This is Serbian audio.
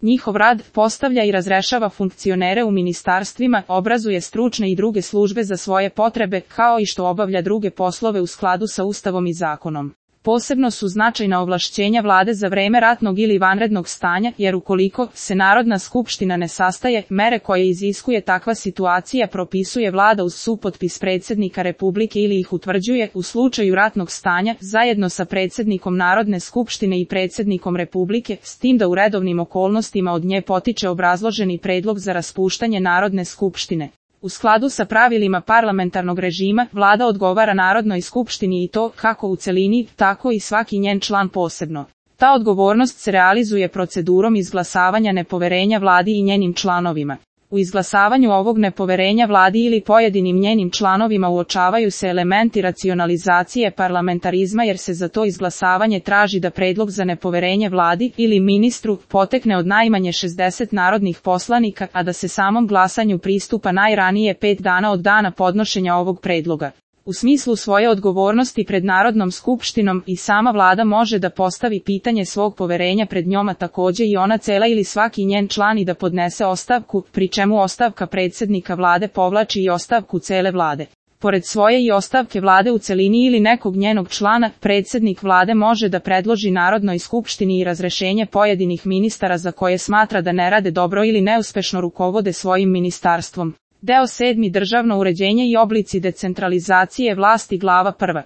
Njihov rad postavlja i razrešava funkcionere u ministarstvima, obrazuje stručne i druge službe za svoje potrebe, kao i što obavlja druge poslove u skladu sa Ustavom i zakonom. Posebno su značajna ovlašćenja vlade za vreme ratnog ili vanrednog stanja, jer ukoliko se Narodna skupština ne sastaje, mere koje iziskuje takva situacija propisuje vlada uz supotpis predsjednika Republike ili ih utvrđuje u slučaju ratnog stanja, zajedno sa predsjednikom Narodne skupštine i predsjednikom Republike, s tim da u redovnim okolnostima od nje potiče obrazloženi predlog za raspuštanje Narodne skupštine. U skladu sa pravilima parlamentarnog režima, vlada odgovara Narodnoj skupštini i to, kako u celini, tako i svaki njen član posebno. Ta odgovornost se realizuje procedurom izglasavanja nepoverenja vladi i njenim članovima. U izglasavanju ovog nepoverenja vladi ili pojedinim njenim članovima uočavaju se elementi racionalizacije parlamentarizma jer se za to izglasavanje traži da predlog za nepoverenje vladi ili ministru potekne od najmanje 60 narodnih poslanika, a da se samom glasanju pristupa najranije 5 dana od dana podnošenja ovog predloga. U smislu svoje odgovornosti pred Narodnom skupštinom i sama vlada može da postavi pitanje svog poverenja pred njom, a takođe i ona cela ili svaki njen član i da podnese ostavku, pri čemu ostavka predsjednika vlade povlači i ostavku cele vlade. Pored svoje i ostavke vlade u celini ili nekog njenog člana, predsjednik vlade može da predloži Narodnoj skupštini i razrešenje pojedinih ministara za koje smatra da ne rade dobro ili neuspešno rukovode svojim ministarstvom. Deo 7. Državno uređenje i oblici decentralizacije vlasti, glava 1.